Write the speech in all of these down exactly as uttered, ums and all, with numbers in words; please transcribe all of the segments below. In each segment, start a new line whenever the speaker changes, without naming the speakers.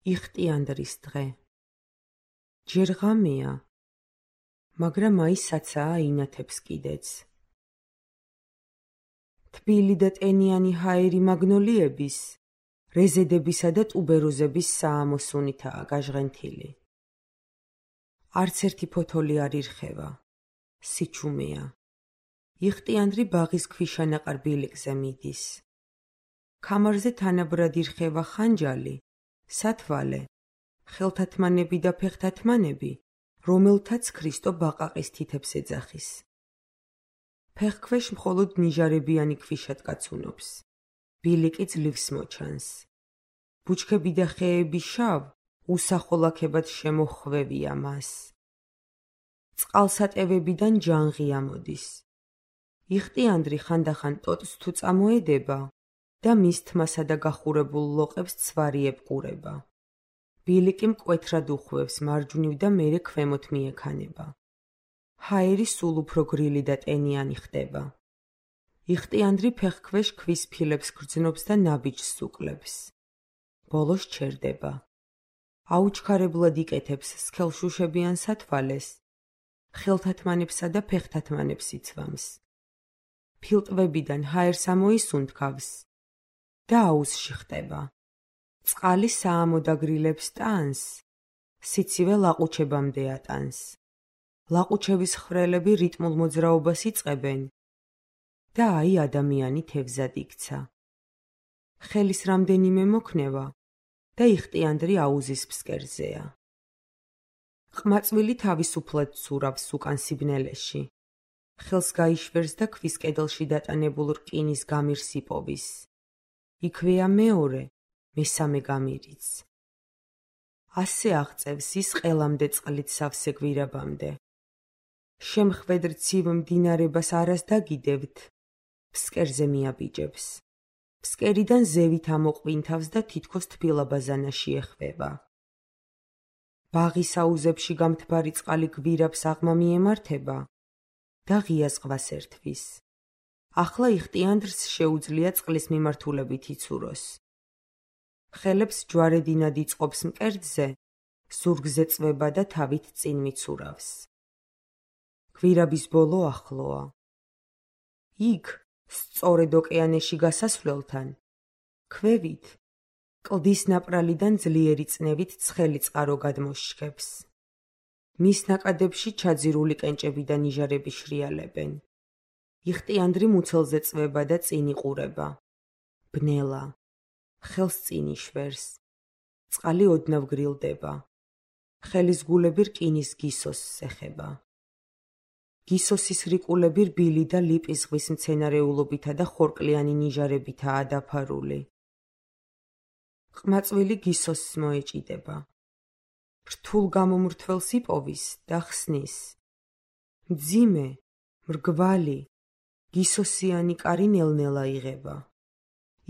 იხტიანდრის დღე. ჯერ ღამეა, მაგრამ აი საცაა ინათებს კიდეც. თბილი და ტენიანი ჰაერი მაგნოლიების, რეზედებისა და ტუბეროზების საამოსუნითაა გაჟღენთილი. არც ერთი ფოთოლი არ ირხევა, სიჩუმეა. იხტიანდრი ბაღის ქვიშანაყარ ბილიკზე მიდის. ქამარზე თანაბრად ირხევა ხანჯალი, სათვალე, ხელთათმანები და ფეხთათმანები, რომელთაც ქრისტო ბაყაყის თითებს ეძახის. ფეხქვეშ მხოლოდ ნიჟარებიანი ქვიშად კაცუნობს. ბილიკი ძლივს მოჩანს. ბუჩქები და ხეები შავ, უსახოლაქებად შემოხვევია მას. წყალსატევებიდან ჯანღი ამოდის. იხტიანდრი ხანდახან ტოტს თუ წამოედება და მის თმასა და გახურებულ ლოყებს ცვარი ებყურება. ბილიკი მკვეთრად უხვევს მარჯვნივ და მერე ქვემოთ მიექანება. ჰაერი სულ უფრო გრილი და ტენიანი ხდება. იხტიანდრი ფეხქვეშ ქვის ფილებს გრძნობს და ნაბიჯს უკლებს. ბოლოს ჩერდება. აუჩქარებლად იკეთებს სქელშუშებიან სათვალეს, ხელთათმანებსა და ფეხთათმანებს იცვამს. ფილტვებიდან ჰაერს ამოისუნთქავს და აუზში ხტება. წყალი საამოდაგრილებს ტანს, სიცივე ლაყუჩებამდე ატანს. ლაყუჩების ხრელები რიტმულ მოძრაობას იწყებენ და აი ადამიანი თევზად იქცა. ხელის რამდენიმე მოქნევა და იხტიანდრი აუზის ფსკერზეა. ყმაწვილი თავისუფლად ცურავს უკან სიბნელეში. ხელს გაიშვერს და ქვის კედელში დატანებულ რკინის გამირს იპოვის. იქვეა მეორე, მესამე გამირიც. ასე აღწევს ის ყელამდე წყლით სავსე გვირაბამდე. შემხვედრ ცივ მდინარებას არას დაგიდევთ, ფსკერზე მიაბიჯებს. ფსკერიდან ზევით ამოყვინთავს და თითქოს თბილაბაზანაში ეხვევა. ბაღის აუზებში გამთბარი წყალი გვირაბს აღმა მიემართება და ღია ზღვას ერთვის. ახლა იხტიანდრს შეუძლია წყლის მიმართულებით იცუროს. ხელებს ჯვარედინად იწყობს მკერდზე, ზურგზე წვება და თავით წინ მიცურავს. გვირაბის ბოლო ახლოა. იქ, სწორედ ოკეანეში გასასვლელთან, ქვევით, კლდის ნაპრალიდან ძლიერი წნევით ცხელი წყარო გადმოშქებს. მის ნაკადებში ჩაძირული კენჭები და ნიჟარები შრიალებენ. იხტიანდრი მუცელზე წვება და წინ იყურება. ბნელა. ხელს წინ იშვერს. წყალი ოდნავ გრილდება. ხელის გულები რკინის გისოსს ეხება. გისოსის რიკულები რბილი და ლიპის ზღვის მცენარეულობითა და ხორკლიანი ნიჟარებითაა დაფარული. ყმაწვილი გისოსს მოეჭიდება. რთულ გამომრთველს იპოვის და ხსნის. მძიმე, მრგვალი, გისოსიანი კარი ნელ-ნელა იღება.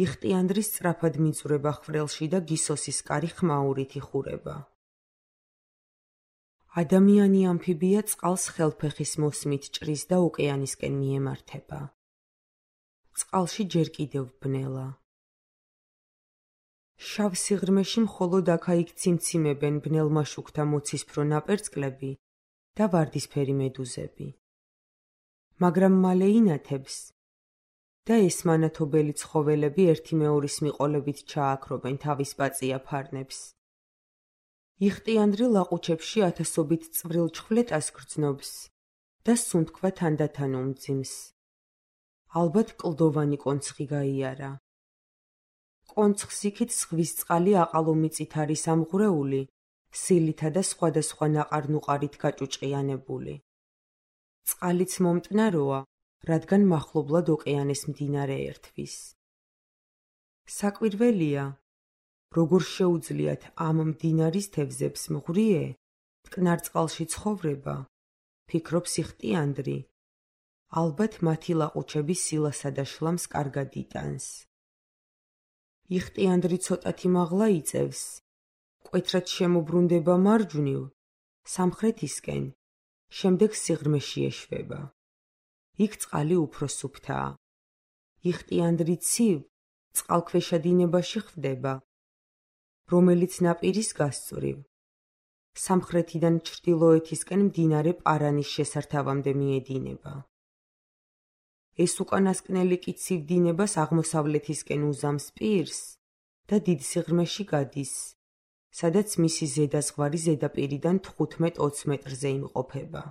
იხტიანდრი სწრაფად მიწურება ხრელში და გისოსის კარი ხმაურით იხურება. ადამიანი ამფიბია წყალს ხელფეხის მოსმით ჭრის და ოკეანისკენ მიემართება. წყალში ჯერ კიდევ ბნელა. შავ სიღრმეში მხოლოდ აქა-იქ ციმციმებენ ბნელმაშუქთა მოცისფრო ნაპერწკლები და ვარდისფერი მედუზები. მაგრამ მალე ინათებს და ეს მანათობელი ცხოველები ერთი მეორის მიყოლებით ჩააქრობენ თავის პაწია ფარნებს. იხტიანდრი ლაყუჩებში ათასობით წვრილ ჩხვლეტას გრძნობს და სუნთქვა თანდათან უმძიმს. ალბათ კლდოვანი კონცხი გაიარა. კონცხს იქით ზღვის წყალი აყალომიწით არის ამღვრეული, სილითა და სხვადასხვა ნაყარ-ნუყარით გაჭუჭყიანებული. წყალიც მომტნაროა, რადგან მახლობლად ოკეანეს მდინარე ერთვის. საკვირველია, როგორ შეუძლიათ ამ მდინარის თევზებს მღვრიე, მტკნარ წყალში ცხოვრება, ფიქრობს იხტიანდრი. ალბათ მათი ლაყუჩები სილასა და შლამს კარგად იტანს. იხტიანდრი ცოტათი მაღლა იწევს, მკვეთრად შემობრუნდება მარჯვნივ, სამხრეთისკენ, შემდეგ სიღრმეში ეშვება. იქ წყალი უფრო სუფთაა. იხტიანდრი ცივ, წყალქვეშა დინებაში ხვდება. რომელიც ნაპირის გასწვრივ, სამხრეთიდან ჩრდილოეთისკენ მდინარე პარანის შესართავამდე მიედინება. ეს უკანასკნელი კი ცივ-დინებას აღმოსავლეთისკენ უზამს პირს და დიდ სიღრმეში გადის, სადაც მისი ზედაზღვარი ზედაპირიდან თხუთმეტ ოცი მეტრზე იმყოფება.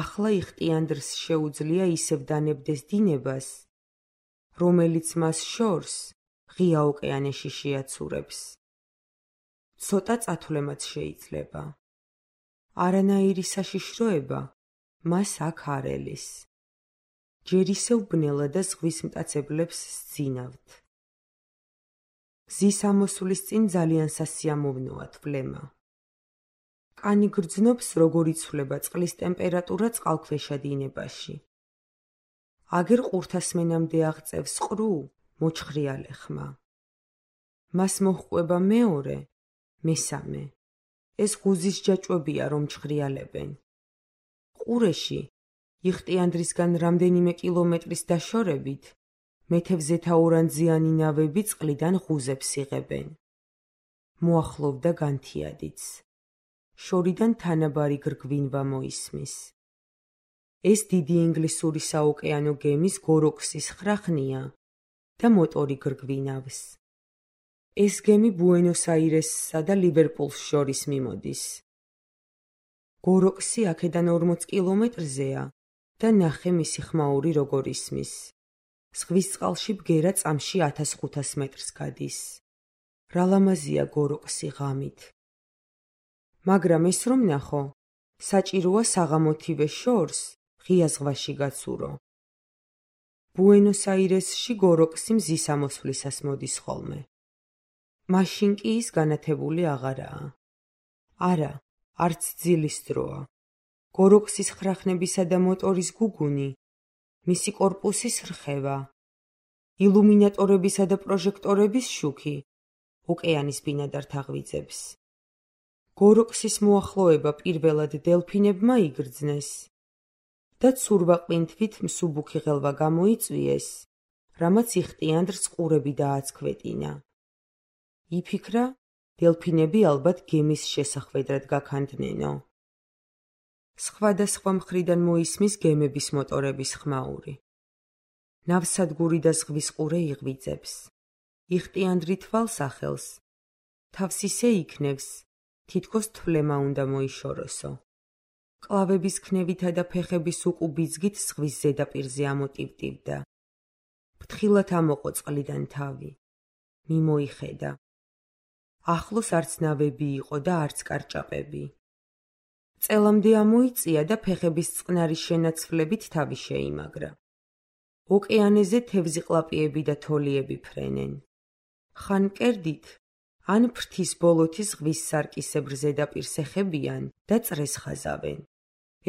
ახლა იხტიანდრს შეუძლია ისევ დანებდეს დინებას, რომელიც მას შორს ღია ოკეანეში შეაცურებს. ცოტა წათვლემაც შეიძლება. არანაირი საშიშროება მას აქ არ ელის. ჯერ ისევ ბნელა და ზღვის მტაცებლებს სძინავთ. გზის ამოსვლის წინ ძალიან სასიამოვნოა თვლემა. კანი გრძნობს, როგორ იცვლება წყლის ტემპერატურა წყალქვეშა დინებაში. აგერ ყურთასმენამდე აღწევს ყრუ, მოჩხრიალე ხმა. მას მოჰყვება მეორე, მესამე. ეს ღუზის ჯაჭვებია, რომ ჩხრიალებენ. ყურეში, იხტიანდრისგან რამდენიმე კილომეტრის დაშორებით, მეთევზეთაურანძიანი ნავები წყლიდან ღუზებს იღებენ. მოახლოვდა განთიადიც. შორიდან თანაბარი გრგვინვა მოისმის. ეს დიდი ინგლისური საოკეანო გემის გოროქსის ხრახნია და მოტორი გრგვინავს. ეს გემი ბუენოს-აირესსა და ლივერპულს შორის მიმოდის. გოროქსი აქედან ორმოცი კილომეტრზეა და ნახე მისი ხმაური როგორ ისმის. ზღვის წყალში ბგერა წამში ათას ხუთას მეტრს გადის. რა ლამაზია გოროქსი ღამით. მაგრამ ეს რომ ნახო, საჭიროა საღამოთივე შორს ღია ზღვაში გაცურო. ბუენოს-აირესში გოროქსი მზის ამოსვლისას მოდის ხოლმე. მაშინ კი ის განათებული აღარაა. არა, არც ძილის დროა. გოროქსის ხრახნებისა და მოტორის გუგუნი, მისი კორპუსის რხევა, ილუმინატორებისა და პროჟექტორების შუქი ოკეანის ბინადართ აღვიძებს. გოროქსის მოახლოება პირველად დელფინებმა იგრძნეს და ცურვაყინთვით მსუბუქი ღელვა გამოიწვიეს, რამაც იხტიანდრს ყურები დააცქვეტინა. იფიქრა, დელფინები ალბათ გემის შესახვედრად გაქანდნენო. სხვადასხვა მხრიდან მოისმის გემების მოტორების ხმაური. ნავსადგური და ზღვის ყურე იღვიძებს. იხტიანდრი თვალს ახელს. თავს ისე იქნევს, თითქოს თვლემა უნდა მოიშოროსო. კლავების ქნევითა და ფეხების უკუბიძგით ზღვის ზედაპირზე ამოტივტივდა. ფრთხილად ამოყო წყლიდან თავი. მიმოიხედა. ახლოს არც ნავები იყო და არც კარჭაპები. წელამდე ამოიწია და ფეხების წყნარი შენაცვლებით თავი შეიმაგრა. ოკეანეზე თევზიყლაპიები და თოლიები ფრენენ. ხან კერდით, ან ფრთის ბოლოთი ზღვის სარკისებრ ზედაპირს ეხებიან და წრეს ხაზავენ.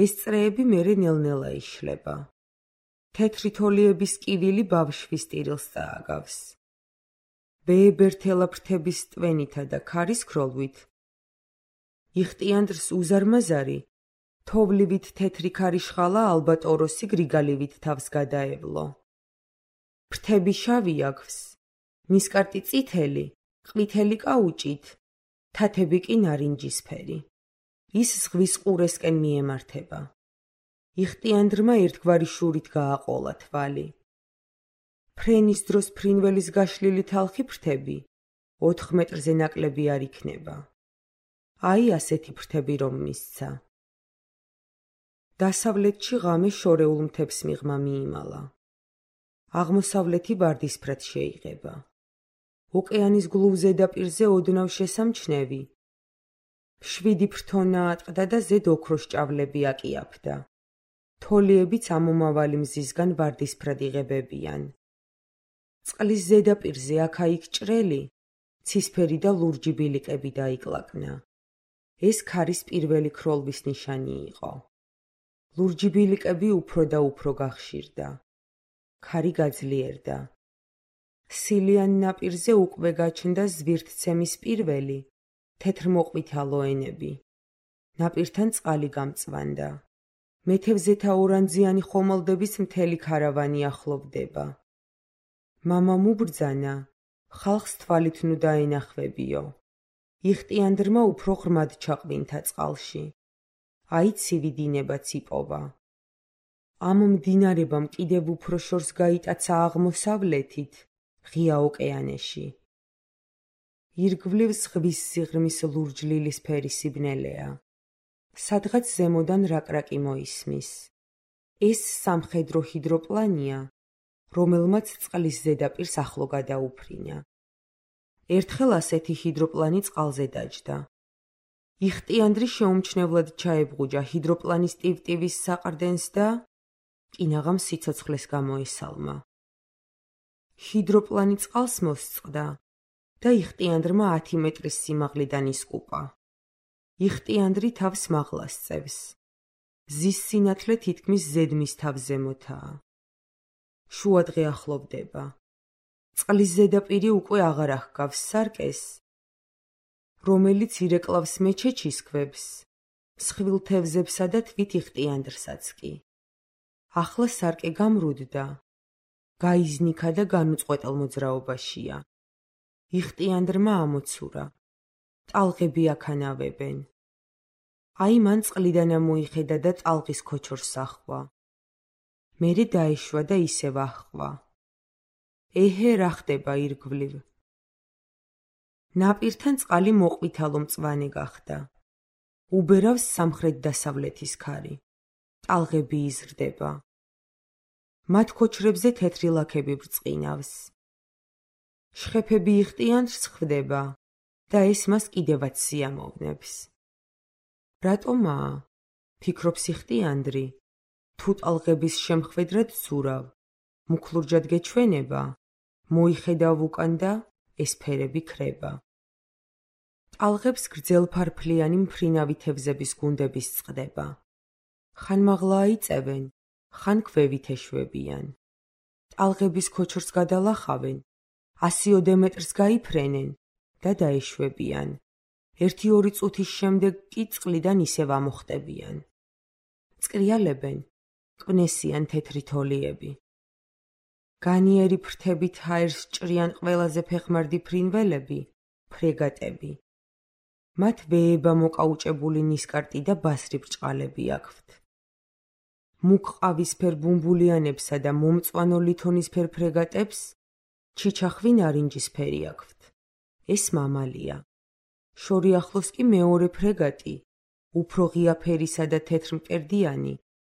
ეს წრეები მერე ნელ-ნელა იშლება. თეთრი თოლიების კივილი ბავშვის ტირილს წააგავს. ბეებერთელა ფრთების ტვენითა და ქარის ქროლვით. იხტიანდრს უზარმაზარი, თოვლივით თეთრი ქარიშხალა ალბატოროსი გრიგალივით თავს გადაევლო. ფრთები შავი აქვს, ნისკარტი წითელი, ყვითელი კაუჭით, თათები კი ნარინჯისფერი. ის ზღვის ყურესკენ მიემართება. იხტიანდრმა ერთგვარი შურით გააყოლა თვალი. ფრენის დროს ფრინველის გაშლილი თალხი ფრთები, ოთხ მეტრზე ნაკლები არ იქნება. აი ასეთი ფრთები რომ მისცა. დასავლეთში ღამე შორეულ მთებს მიღმა მიიმალა. აღმოსავლეთი ვარდისფრად შეიღება. ოკეანის გლუვ ზედაპირზე ოდნავ შესამჩნევი. შვიდი ფრთონა ატყდა და ზედ ოქროს ჭავლები აკიაფდა. თოლიებიც ამომავალი მზისგან ვარდისფრად იღებებიან. წყლის ზედაპირზე აქა-იქ ჭრელი, ცისფერი და ლურჯი ბილიკები დაიკლაკნა. ეს ქარის პირველი ქროლვის ნიშანი იყო. ლურჯი ბილიკები უფრო და უფრო გახშირდა. ქარი გაძლიერდა. სილიან ნაპირზე უკვე გაჩნდა ზვირთცემის პირველი, თეთრმოყვითალო ენები. ნაპირთან წყალი გამწვანდა. მეთევზეთაურანძიანი ხომალდების მთელი ქარავანი ახლოვდება. მამამ უბრძანა, ხალხს თვალით ნუ დაენახვებიო. იხტიანდრმა უფრო ღრმად ჩაყვინთა წყალში. აი ცივი დინებაც იპოვა. ამ მდინარებამ კიდევ უფრო შორს გაიტაცა აღმოსავლეთით, ღია ოკეანეში. ირგვლივ ზღვის სიღრმის ლურჯლილის ფერი სიბნელეა. სადღაც ზემოდან რაკრაკი მოისმის. ეს სამხედრო ჰიდროპლანია, რომელმაც წყლის ზედაპირს ახლო გადაუფრინა. ერთხელ ასეთი ჰიდროპლანი წყალზე დაჯდა. იხტიანდრი შეუმჩნევლად ჩაებღუჯა ჰიდროპლანის ტივტივის საყრდენს და კინაღამ სიცოცხლეს გამოესალმა. ჰიდროპლანი წყალს მოსწყდა და იხტიანდრმა ათი მეტრის სიმაღლიდან ისკუპა. იხტიანდრი თავს მაღლა სწევს. მზის სინათლე თითქმის ზედმის თავზემოთაა. შუადღე ახლოვდება. წყლის ზედაპირი უკვე აღარ ახგავს სარკეს, რომელიც ირეკლავს მეჩეჩის ქვებს, მსხვილ თევზებსა და თვით იხტიანდრსაც კი. ახლა სარკე გამრუდდა, გაიზნიქა და განუწყვეტელ მოძრაობაშია. იხტიანდრმა ამოცურა. ტალღები აქანავებენ. აი მან წყლიდან ამოიხედა და ტალღის ქოჩორს ახვა. მერე დაეშვა და ისევ ახვა. ეჰე, რა ხდება ირგვლივ? ნაპირთან წყალი მოყვითალო მწვანე გახდა. უბერავს სამხრეთ-დასავლეთის ქარი. ტალღები იზრდება. მათ ქოჩრებზე თეთრი ლაქები ბრწყინავს. შხეფები იხტიანდრს ხვდება და ეს მას კიდევაც სიამოვნებს. რატომაა? ფიქრობს იხტიანდრი. თუ ტალღების შემხვედრად ცურავ, მუქლურჯად გეჩვენება, მოიხედავ უკან და ეს ფერები ქრება. ტალღებს გრძელფარფლიანი მფრინავი თევზების გუნდები სწყდება. ხან მაღლა აიწევენ, ხან ქვევით ეშვებიან. ტალღების ქოჩორს გადალახავენ, ასიოდე მეტრს გაიფრენენ და დაეშვებიან. ერთი-ორი წუთის შემდეგ კი წყლიდან ისევ ამოხტებიან. წკრიალებენ, კვნესიან თეთრი თოლიები. განიერი ფრთებით ჰაერს ჭრიან ყველაზე ფეხმარდი ფრინველები, ფრეგატები. მათ ვეება მოკაუჭებული ნისკარტი და ბასრი ბრჭყალები აქვთ. მუქ ყავისფერ ბუმბულიანებსა და მომწვანო ლითონისფერ ფრეგატებს ჩიჩახვი ნარინჯისფერი აქვთ. ეს მამალია. შორი ახლოს კი მეორე ფრეგატი, უფრო ღია ფერისა და თეთრ მკერდიანი,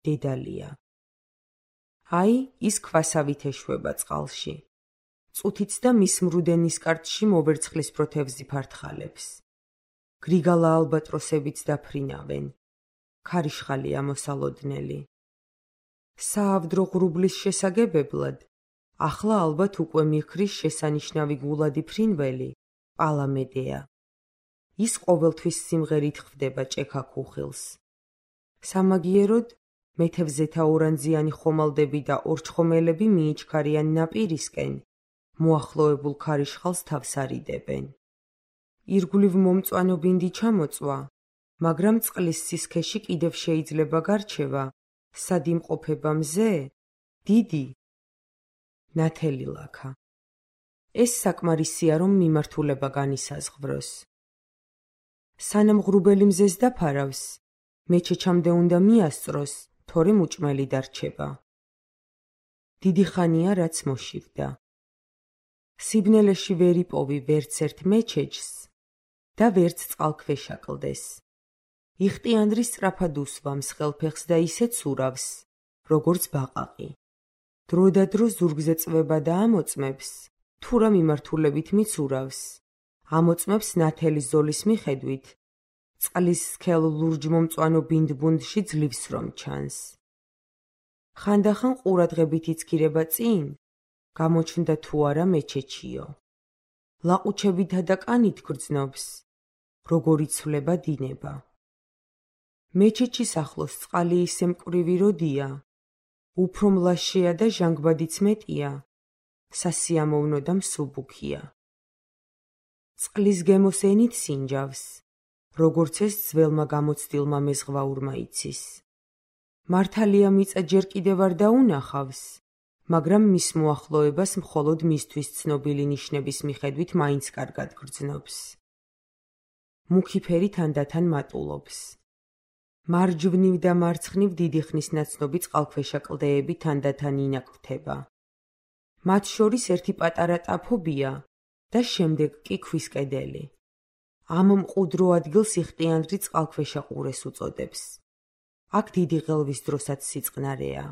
დედალია. აი, ის ქვასავით ეშვება წყალში. წუთიც და მის მრუდე ნისკარტში მოვერცხლის პროთევზი ფართხალებს. გრიგალა ალბატროსებიც დაფრინავენ. ქარიშხალი ამოსალოდნელი. საავდრო ღრუბლის შესაგებებლად, ახლა ალბათ უკვე მიხრის შესანიშნავი გულადი ფრინველი, პალამედეა. ის ყოველთვის სიმღერით ხვდება ჭექა-ქუხილს. სამაგიეროდ, მეთევზეთა ორანძიანი ხომალდები და ორჩხომელები მიიჩქარიან ნაპირისკენ, მოახლოებულ ქარიშხალს თავს არიდებენ. ირგვლივ მომწვანო ბინდი ჩამოწვა, მაგრამ წყლის სისქეში კიდევ შეიძლება გარჩევა, სად იმყოფება მზე, დიდი, ნათელი ლაქა. ეს საკმარისია, რომ მიმართულება განისაზღვროს. სანამ ღრუბელი მზეს დაფარავს, მეჩეჩამდე უნდა მიასწროს, თორემ უჭმელი დარჩება. დიდი ხანია, რაც მოშივდა. სიბნელეში ვერ იპოვი ვერც ერთ მეჩეჩს და ვერც წყალქვეშა კლდეს. იხტიანდრი სწრაფად უსვამს ხელფეხს და ისე ცურავს, როგორც ბაყაყი. დრო და დრო ზურგზე წვება და ამოწმებს, თუ რა მიმართულებით მიცურავს. ამოწმებს ნათელი ზოლის მიხედვით, წყლის სქელ ლურჯ-მომწვანო ბინდბუნდში ძლივს რომ ჩანს. ხანდახან ყურადღებით იცქირება წინ, გამოჩნდა თუ არა მეჩეჩიო. ლაყუჩებითა და კანით გრძნობს, როგორ იცვლება დინება. მეჩეჩის ახლოს წყალი ისე მკვრივი როდია, უფრო მლაშეა და ჟანგბადიც მეტია, სასიამოვნო და მსუბუქია. წყლის გემოს ენით სინჯავს, როგორც ეს ძველმა გამოცდილმა მეზღვაურმა იცის. მართალია მიწა ჯერ კიდევ არ დაუნახავს, მაგრამ მის მოახლოებას მხოლოდ მისთვის ცნობილი ნიშნების მიხედვით მაინც კარგად გრძნობს. მუქი ფერი თანდათან მატულობს. მარჯვნივ და მარცხნივ დიდი ხნის ნაცნობი წყალქვეშა კლდეები თანდათან ინაკვთება. მათ შორის ერთი პატარა ტაფობია და შემდეგ კი ქვის კედელი. ამ მყუდრო ადგილს იხტიანდრი წყალქვეშა ყურეს უწოდებს. აქ დიდი ღელვის დროსაც სიწყნარეა.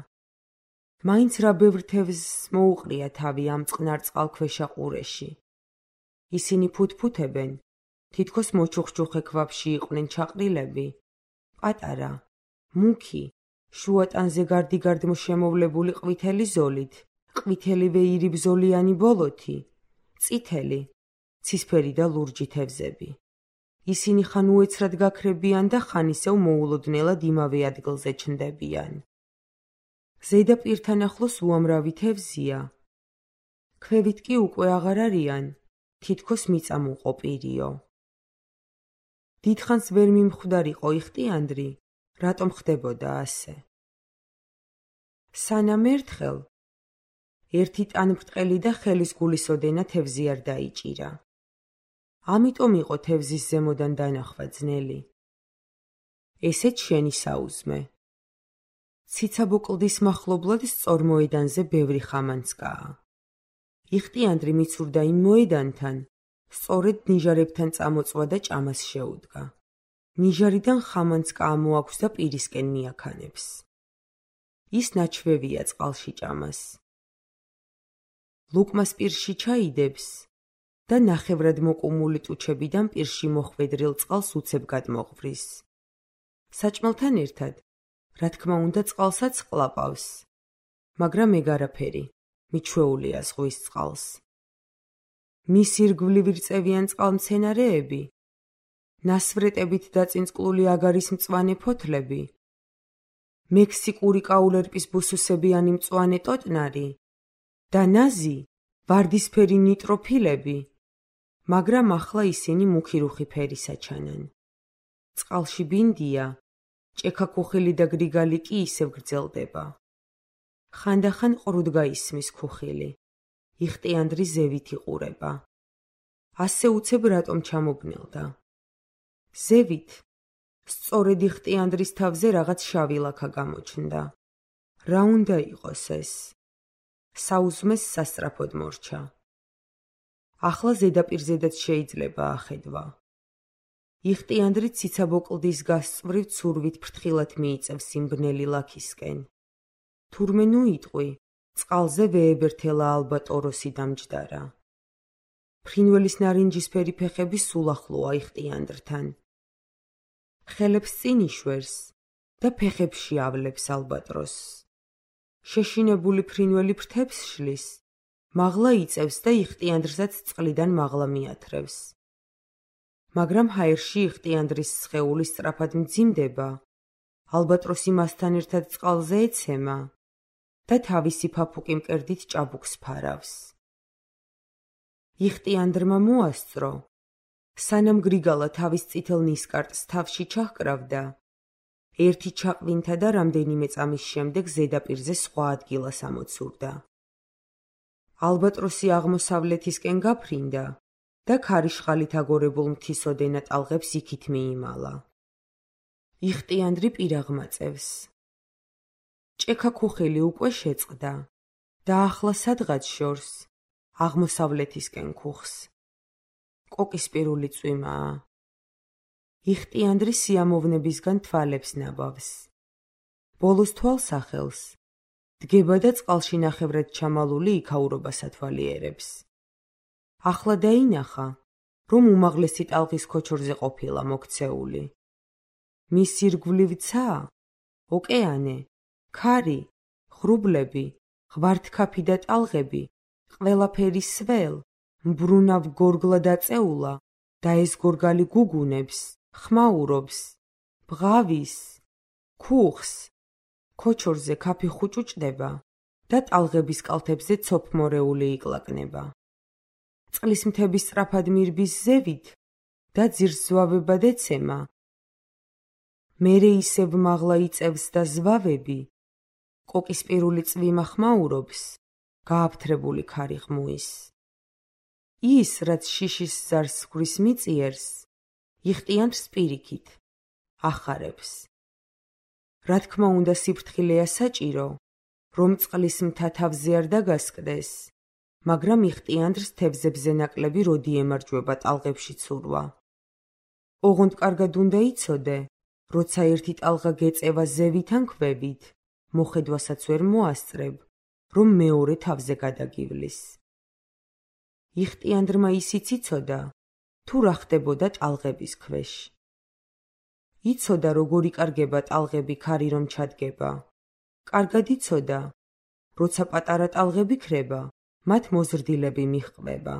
მაინც რა ბევრ თევზს მოუყრია თავი ამ წყნარ წყალქვეშა ყურეში. ისინი ფუთფუთებენ, თითქოს მოჩუხჩუხე ქვაბში იყვნენ ჩაყრილები. პატარა, მუქი, შუატანზე გარდიგარდმო შემოვლებული ყვითელი ზოლით, ყვითელი ვეირიბზოლიანი ბოლოთი, წითელი, ცისფერი და ლურჯი თევზები. ისინი ხან უეცრად გაქრებიან და ხან ისევ მოულოდნელად იმავე ადგილზე ჩნდებიან. ზედაპირთან ახლოს უამრავი თევზია. ქვევით კი უკვე აღარ არიან, თითქოს მიწამუყო პირიო. დიდხანს ვერ მიმხვდარიყო იხტიანდრი, რატომ ხდებოდა ასე. სანამ ერთხელ ერთი ტანბრტყელი და ხელის გულისოდენა თევზი არ დაიჭირა. ამიტომ იყო თევზის ზემოდან დანახვა ძნელი. ესეც შენი საუზმე. ციცაბო კლდის მახლობლად სწორ მოედანზე ბევრი ხამანცკაა. იხტიანდრი მიცურდა იმ მოედანთან, სწორედ ნიჟარებთან წამოწვა და ჭამას შეუდგა. ნიჟარიდან ხამანცკა ამოაქვს და პირისკენ მიაქანებს. ის ნაჩვევია წყალში ჭამას. ლუკმას პირში ჩაიდებს და ნახევრად მოკუმული ტუჩებიდან პირში მოხვედრილ წყალს უცებ გადმოღვრის. საჭმელთან ერთად, რა თქმა უნდა წყალსაც ყლაპავს, მაგრამ ეგ არაფერი, მიჩვეულია ზღვის წყალს. მის ირგვლივ რწევიან წყალმცენარეები, ნასვრეტებით დაწინწკლული აგარის მწვანე ფოთლები, მექსიკური კაულერპის ბუსუსებიანი მწვანე ტოტნარი და ნაზი ვარდისფერი ნიტროფილები, მაგრამ ახლა ისინი მუქი რუხი ფერისა ჩანან. წყალში ბინდია, ჭექა-ქუხილი და გრიგალი კი ისევ გრძელდება. ხანდახან ყრუდ გაისმის ქუხილი. იხტიანდრი ზევით იყურება. ასე უცებ რატომ ჩამობნელდა? ზევით, სწორედ იხტიანდრის თავზე რაღაც შავი ლაქა გამოჩნდა. რა უნდა იყოს ეს? საუზმეს სასწრაფოდ მორჩა. ახლა ზედაპირზედაც შეიძლება ახედვა. იხტიანდრი ციცაბო კლდის გასწვრივ ცურვით ფრთხილად მიიწევს იმ ბნელი ლაქისკენ. თურმე ნუ იტყვი, წყალზე ვეებერთელა ალბატოროსი დამჯდარა. ფრინველის ნარინჯისფერი ფეხები სულ ახლოა იხტიანდრთან. ხელებს წინ იშვერს და ფეხებში ავლებს ალბატროსს. შეშინებული ფრინველი ფრთებს შლის, მაღლა იწევს და იხტიანდრსაც წყლიდან მაღლა მიათრევს. მაგრამ ჰაერში იხტიანდრის სხეული სწრაფად მძიმდება, ალბატროსი მასთან ერთად წყალზე ეცემა და თავისი ფაფუკი მკერდით ჭაბუკს ფარავს. იხტიანდრმა მოასწრო, სანამ გრიგალა თავის წითელ ნისკარტს თავში ჩაჰკრავდა, ერთი ჩაყვინთა და რამდენიმე წამის შემდეგ ზედაპირზე სხვა ადგილას ამოცურდა. ალბატროსი აღმოსავლეთისკენ გაფრინდა და ქარიშხალით აგორებულ მთისოდენა ტალღებს იქით მიიმალა. იხტიანდრი პირაღმა წევს. ჭექა-ქუხილი უკვე შეწყდა და ახლა სადღაც შორს, აღმოსავლეთისკენ ქუხს. კოკისპირული წვიმაა. იხტიანდრი სიამოვნებისგან თვალებს ნაბავს. ბოლოს თვალს ახელს, დგება და წყალში ნახევრად ჩამალული იქაურობას ათვალიერებს. ახლა დაინახა, რომ უმაღლესი ტალღის ქოჩორზე ყოფილა მოქცეული. მის ირგვლივ ცა, ოკეანე, ქარი, ღრუბლები, ღვართქაფი და ტალღები, ყველაფერი სվել, მბრუნავ გორგლა დაწეულა და ეს გორგალი გუგუნებს, ხმაურობს, ბღავის, ქუხს, ქოჩორზე ქაფი ხუჭუჭდება და ტალღების კალთებზე ცოფმორეული იკლაკნება. წყლის მთების სწრაფად მირბის ზევით და ძირს ზვავებად ეცემა. მერე ისევ მაღლა იწევს და ზვავები, კოკისპირული წვიმა ხმაურობს გააფთრებული ქარი ღმუის. ის, რაც შიშის ზარს გვრის მიწიერს, იხტიანთ პირიქით, ახარებს. რა თქმა უნდა სიფრთხილეა საჭირო, რომ წყლის მთა თავზე არ დაგასკდეს, მაგრამ იხტიანდრს თევზებზე ნაკლები როდი ემარჯვება ტალღებში ცურვა. ოღონდ კარგად უნდა იცოდე, როცა ერთი ტალღა გეწევა ზევით ან ქვევით, მოხედვასაც ვერ მოასწრებ, რომ მეორე თავზე გადაგივლის. იხტიანდრმა ისიც იცოდა, თუ რა ხდებოდა ტალღების ქვეშ. იცოდა, როგორ იკარგება ტალღები ქარი რომ ჩადგება. კარგად იცოდა, როცა პატარა ტალღები ქრება, მათ მოზრდილები მიჰყვება.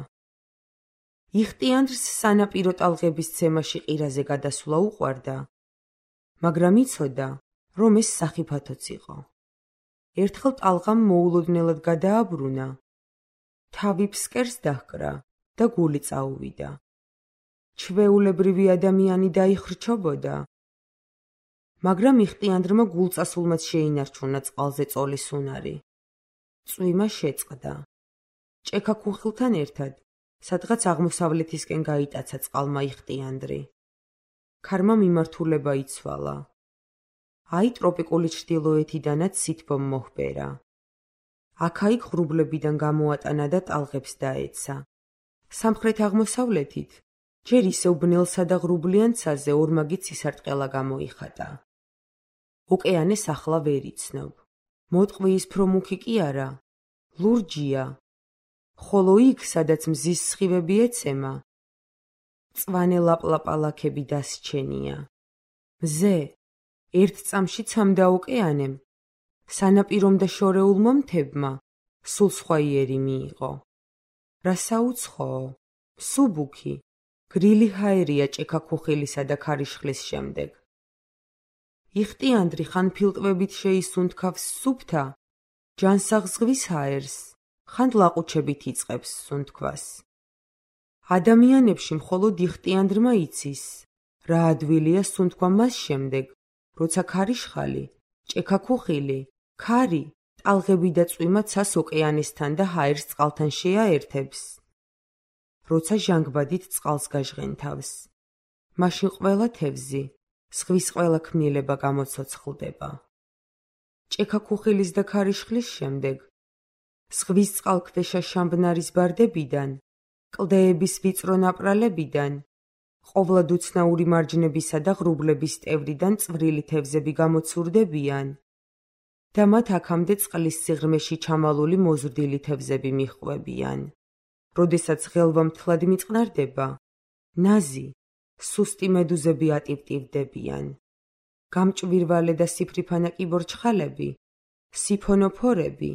იხტიანდრს სანაპირო ტალღების ცემაში ყირაზე გადასვლა უყვარდა, მაგრამ იცოდა, რომ ეს სახიფათოც იყო. ერთხელ ტალღამ მოულოდნელად გადააბრუნა, თავი ფსკერს დაჰკრა და გული წაუვიდა. ჩვეულებრივი ადამიანი დაიხრჩობოდა, მაგრამ იხტიანდრმა გულწასულმაც შეინარჩუნა წყალზე წოლის უნარი. წვიმა შეწყდა. ჭექა-ქუხილთან ერთად, სადღაც აღმოსავლეთისკენ გაიტაცა წყალმა იხტიანდრი. ქარმა მიმართულება იცვალა. აი ტროპიკული ჩრდილოეთიდანაც სითბომ მოჰბერა. აქა-იქ ღრუბლებიდან გამოატანა და ტალღებს დაეცა. სამხრეთ-აღმოსავლეთით, ჯერ ისევ ბნელსა და ღრუბლიან ცაზე ორმაგი ცისარტყელა გამოიხატა. ოკეანეს ახლა ვერ იცნობ. მოტყვის ფრომუქი კი არა, ლურჯია. ხოლო იქ, სადაც მზის სხივები ეცემა, მწვანე ლაპლაპალაქები დასჩენია. მზე, ერთ წამში ცამდა ოკეანემ, სანაპირომ და შორეულმა მთებმა, სულ სხვა იერი მიიღო. რა საუცხოო, მსუბუქი, გრილი ჰაერია ჭექა-ქუხილისა და ქარიშხლის შემდეგ. იხტიანდრი ხან ფილტვებით შეისუნთქავს სუფთა, ჯანსაღ ზღვის ჰაერს, ხან ლაყუჩებით იწყებს სუნთქვას. ადამიანებში მხოლოდ იხტიანდრმა იცის, რა ადვილია სუნთქვა მას შემდეგ, როცა ქარიშხალი, ჭექა-ქუხილი, ქარი, ტალღები და წვიმა ცას ოკეანესთან და ჰაერს წყალთან შეაერთებს. როცა ჟანგბადით წყალს გაჟღენთავს, მაშინ ყველა თევზი, ზღვის ყველა ქმნილება გამოცოცხლდება. ჭექა-ქუხილის და ქარიშხლის შემდეგ, ზღვის წყალქვეშა შამბნარის ბარდებიდან, კლდეების ვიწრო ნაპრალებიდან, ყოვლად უცნაური მარჯნებისა და ღრუბლების ტევრიდან წვრილი თევზები გამოცურდებიან და მათ აქამდე წყლის სიღრმეში ჩამალული მოზრდილი თევზები მიჰყვებიან. როდესაც ღელვა მთლად მიწყნარდება, ნაზი, სუსტი მედუზები ატივტივდებიან. გამჭვირვალე და სიფრიფანა კიბორჩხალები, სიფონოფორები,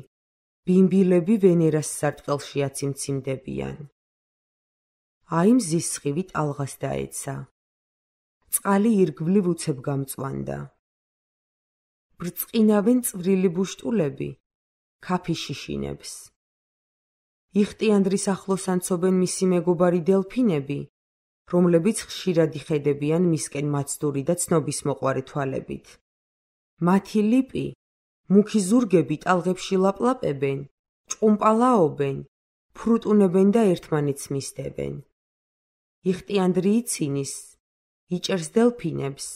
ბიმბილები ვენერას სარტყელში აციმციმდებიან. აი მზის სხივი ტალღას დაეცა. წყალი ირგვლივ უცებ გამწვანდა. ბრწყინავენ წვრილი ბუშტულები, ქაფი შიშინებს. იხტიანდრის ახლოს ანცობენ მისი მეგობარი დელფინები, რომლებიც ხშირად იხედებიან მისკენ მაცდური და ცნობისმოყვარე თვალებით. მათი ლიპი, მუქი ზურგები ტალღებში ლაპლაპებენ, ჭყუმპალაობენ, ფრუტუნებენ და ერთმანეთს მისდებენ. იხტიანდრი იცინის, იჭერს დელფინებს,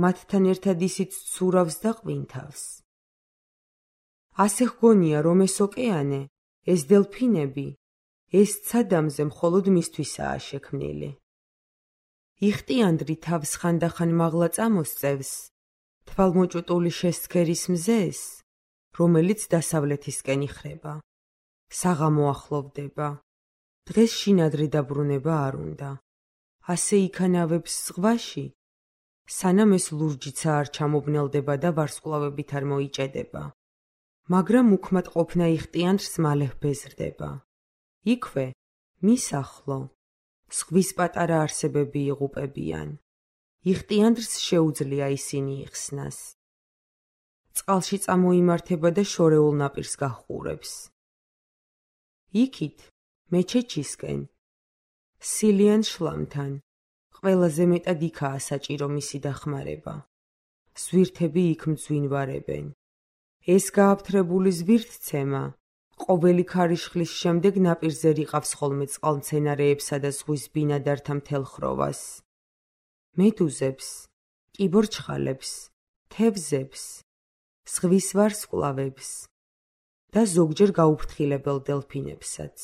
მათთან ერთად ისიც ცურავს და ყვინთავს. ასე ჰგონია, რომ ეს ოკეანე, ეს დელფინები, ეს ცადამზე მხოლოდ მისთვისაა შექმნილი. იხტიანდრი თავს ხანდახან მაღლა წამოსწევს, თვალმოჭუტული შესცქერის მზეს, რომელიც დასავლეთისკენ იხრება. საღამო ახლოვდება. დღეს შინადრი დაბრუნება არ უნდა. ასე იქანავებს ზღვაში, სანამ ეს ლურჯიცა არ ჩამობნელდება და ვარსკვლავებით არ მოიჭედება. მაგრამ უქმად ყოფნა იხტიანდრს მალე ბეზრდება. იქვე, მის ახლო, ზღვის პატარა არსებები იღუპებიან. იხტიანდრს შეუძლია ისინი იხსნას. წყალში წამოიმართება და შორეულ ნაპირს გაჰყურებს. იქით, მეჩეჩისკენ, სილიან შლამთან, ყველაზე მეტად იქაა საჭირო მისი დახმარება. ზვირთები იქ მძვინვარებენ. ეს გააფთრებული ზვირთცემა, ყოველი ქარიშხლის შემდეგ ნაპირზე რიყავს ხოლმე წყალმცენარეებსა და ზღვის ბინადართა მთელხროვას. მედუზებს, კიბორჩხალებს, თევზებს, ზღვის ვარსკვლავებს და ზოგჯერ გაუფრთხილებელ დელფინებსაც.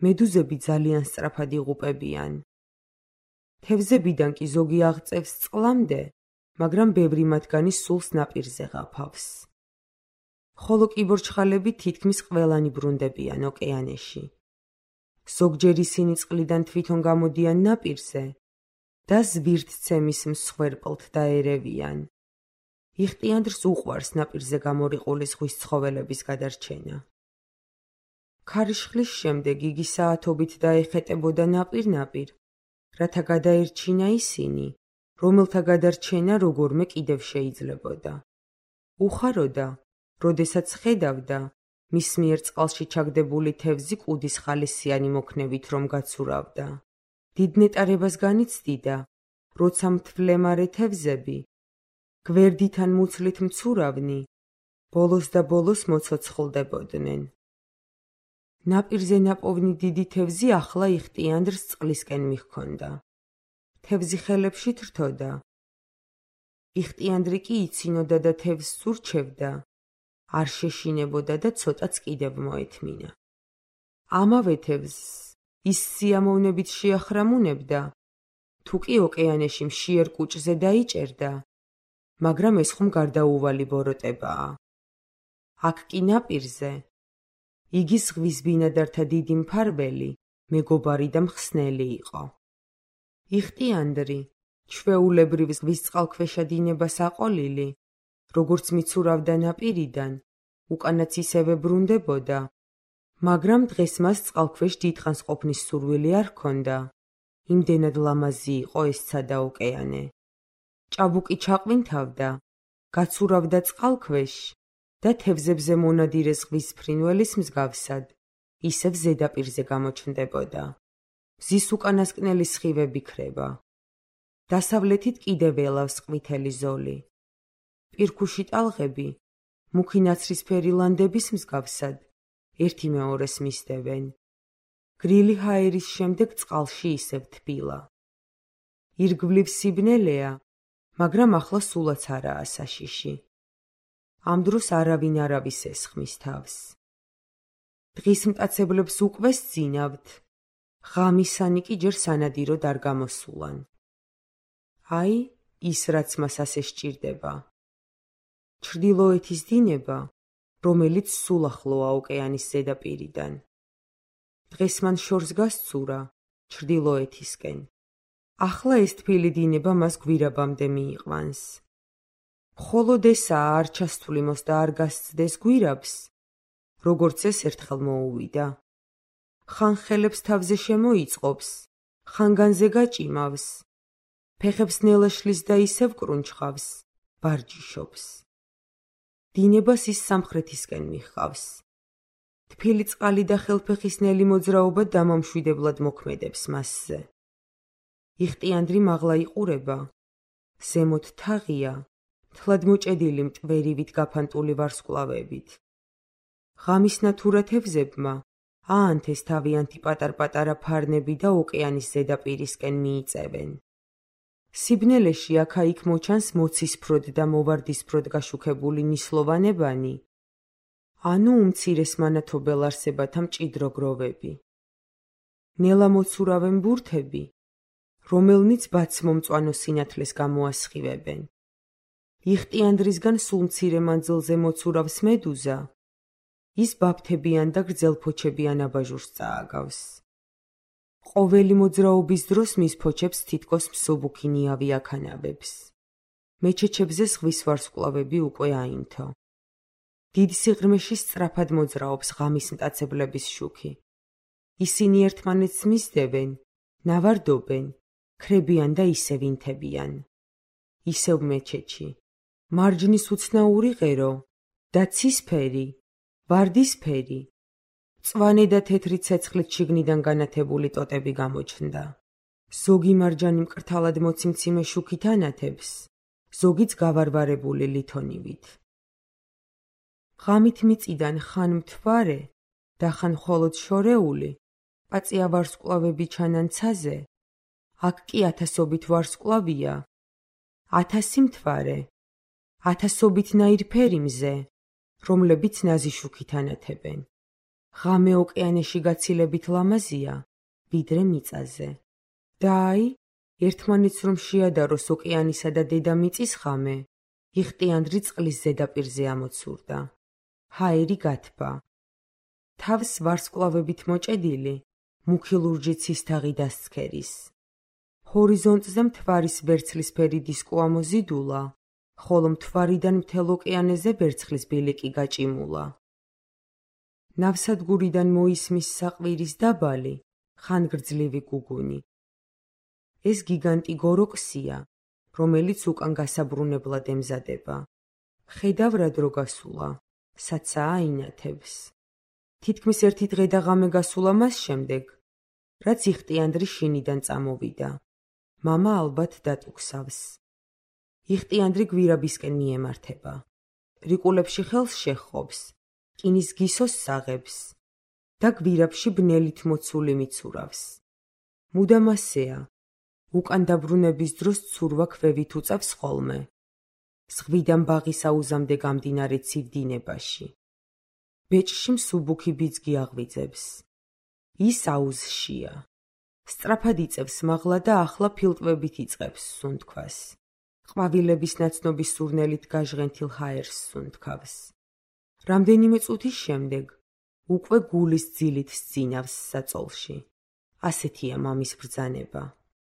მედუზები ძალიან სწრაფად იღუპებიან. თევზებიდან კი ზოგი აღწევს წყლამდე, მაგრამ ბევრი მათგანი სულს ნაპირზე ღაფავს. ხოლო კიბორჩხალები თითქმის ყველანი ბრუნდებიან ოკეანეში. ზოგჯერ ისინი წყლიდან თვითონ გამოდიან ნაპირზე და ზვირთცემის მსხვერპლთ დაერევიან. იხტიანდრს უყვარს ნაპირზე გამორიყული ზღვის ცხოველების გადარჩენა. ქარიშხლის შემდეგ იგი საათობით დაეხეტებოდა ნაპირ-ნაპირ, რათა გადაერჩინა ისინი, რომელთა გადარჩენა როგორმე კიდევ შეიძლებოდა. უხაროდა, როდესაც ხედავდა მის მიერ წყალში ჩაგდებული თევზი კუდის ხალისიანი მოქნევით რომ გაცურავდა. დიდ ნეტარებას განიცდიდა, როცა მთვლემარე თევზები, გვერდიდან მუცლით მცურავნი, ბოლოს და ბოლოს მოცოცხლდებოდნენ. ნაპირზე ნაპოვნი დიდი თევზი ახლა იხტიანდრს წყლისკენ მიჰქონდა. თევზი ხელებში თრთოდა. იხტიანდრი კი იცინოდა და თევზს ურჩევდა, არ შეშინებოდა და ცოტაც კიდევ მოეთმინა. ამავე თევზს ის სიამოვნებით შეახრამუნებდა, თუ კი ოკეანეში მშიერ კუჭზე დაიჭერდა, მაგრამ ეს ხომ გარდაუვალი ბოროტებაა. აქ კი ნაპირზე იგი ზღვის ბინადართა დიდი მფარველი, მეგობარი და მხსნელი იყო. იხტიანდრი, ჩვეულებრივ ზღვის წყალქვეშა დინებას აყოლილი, როგორც მიცურავდა ნაპირიდან, უკანაც ისევე ბრუნდებოდა, მაგრამ დღეს მას წყალქვეშ დიდხანს ყოფნის სურვილი არ ჰქონდა. იმდენად ლამაზი იყო ეს ცადა ოკეანე. ჭაბუკი ჩაყვინთავდა, გაცურავდა წყალქვეშ და თევზებზე მონადირე ზღვის ფრინველის მსგავსად, ისევ ზედაპირზე გამოჩნდებოდა. მზის უკანასკნელი სხივები ქრება. დასავლეთით კიდევ ელავს ყვითელი ზოლი. პირქუში ტალღები, მუქი ნაცრისფერი ლანდების მსგავსად, ერთი მეორეს მისდევენ. გრილი ჰაერის შემდეგ წყალში ისევ თბილა. ირგვლივ სიბნელეა, მაგრამ ახლა სულაც არაა საშიში. ამ დროს არავინ არავის ესხმის თავს. დღის მტაცებლებს უკვე სძინავთ, ღამისანი კი ჯერ სანადიროდ არ გამოსულან. აი, ის რაც მას ასე სჭირდება. ჩრდილოეთის დინება, რომელიც სულ ახლოა ოკეანის ზედაპირიდან. დღეს მან შორს გასცურა ჩრდილოეთისკენ. ახლა ეს თბილი დინება მას გვირაბამდე მიიყვანს. მხოლოდ ესაა არ ჩასთვლიმოს და არ გასცდეს გვირაბს, როგორც ეს ერთხელ მოუვიდა. ხან ხელებს თავზე შემოიწყობს, ხან განზე გაჭიმავს, ფეხებს ნელა შლის და ისევ კრუნჩხავს, ბარჯიშობს. დინებას ის სამხრეთისკენ მიჰყავს. თბილი წყალი და ხელფეხისნელი მოძრაობა დამამშვიდებლად მოქმედებს მასზე. იხტიანდრი მაღლა იყურება, ზემოთ თაღია, თლად მოჭედილი მტვერივით გაფანტული ვარსკვლავებით. ღამის ნათურა თევზებმა აანთეს თავიანთი პატარ-პატარა ფარნები და ოკეანის ზედაპირისკენ მიიწევენ. სიბნელეში აქა-იქ მოჩანს მოცისფროდ და მოვარდისფროდ გაშუქებული ნისლოვანებანი, ანუ უმცირეს მანათობელ არსებათა მჭიდრო გროვები. ნელა მოცურავენ ბურთები, რომელნიც ბაცმომწვანო სინათლეს გამოასხივებენ. იხტიანდრისგან სულ მცირე მანძილზე მოცურავს მედუზა, ის ბაფთებიან და გრძელფოჩებიან აბაჟურს წააგავს. ყოველი მოძრაობის დროს მის ფოჩებს თითქოს მსუბუქი ნიავი აქანავებს. მეჩეჩებზე ზღვის ვარსკვლავები უკვე აინთო. დიდ სიღრმეში სწრაფად მოძრაობს ღამის მტაცებლების შუქი. ისინი ერთმანეთს მისდევენ, ნავარდობენ, ქრებიან და ისევ ინთებიან. ისევ მეჩეჩი. მარჯნის უცნაური ღერო და ცისფერი, ვარდისფერი, მწვანე და თეთრი ცეცხლით შიგნიდან განათებული ტოტები გამოჩნდა. ზოგი მარჯანი მკრთალად მოციმციმე შუქით ანათებს, ზოგიც გავარვარებული ლითონივით. ღამით მიწიდან ხან მთვარე და ხან მხოლოდ შორეული, პაწია ვარსკვლავები ჩანან ცაზე, აქ კი ათასობით ვარსკვლავია, ათასი მთვარე, ათასობით ნაირფერი მზე, რომლებიც ნაზი შუქით ანათებენ. ღამე ოკეანეში გაცილებით ლამაზია, ვიდრე მიწაზე. და აი, ერთმანეთს რომ შეადაროს ოკეანისა და დედამიწის ღამე, იხტიანდრი წყლის ზედაპირზე ამოცურდა. ჰაერი გათბა. თავს ვარსკვლავებით მოჭედილი, მუქი ლურჯი ცისთაღი დასცქერის. ჰორიზონტზე მთვარის ვერცხლისფერი დისკო ამოზიდულა, ხოლო მთვარიდან მთელ ოკეანეზე ვერცხლის ბილიკი გაჭიმულა. ნავსადგურიდან მოისმის საყვირის დაბალი, ხანგრძლივი გუგუნი. ეს გიგანტი გოროქსია, რომელიც უკან გასაბრუნებლად ემზადება. ხედავ რა დრო გასულა, საცაა აინათებს. თითქმის ერთი დღე და ღამე გასულა მას შემდეგ, რაც იხტიანდრი შინიდან წამოვიდა. მამა ალბათ დატუქსავს. იხტიანდრი გვირაბისკენ მიემართება. რიკულებში ხელს შეჰყობს, რკინის გისოს საღებს და გვირაბში ბნელით მოცული მიცურავს. მუდამ ასეა, უკან დაბრუნების დროს ცურვა ქვევით უწევს ხოლმე. ზღვიდან ბაღის აუზამდე გამდინარე ცივ დინებაში. ბეჭში მსუბუქი ბიძგი აღვიძებს. ის აუზშია. სწრაფად იწევს მაღლა და ახლა ფილტვებით იწყებს სუნთქვას. ყვავილების ნაცნობის სურნელით გაჟღენთილ ჰაერს სუნთქავს. რამდენიმე წუთის შემდეგ უკვე გულის ძილით სძინავს საწოლში. ასეთია მამის ბრძანება.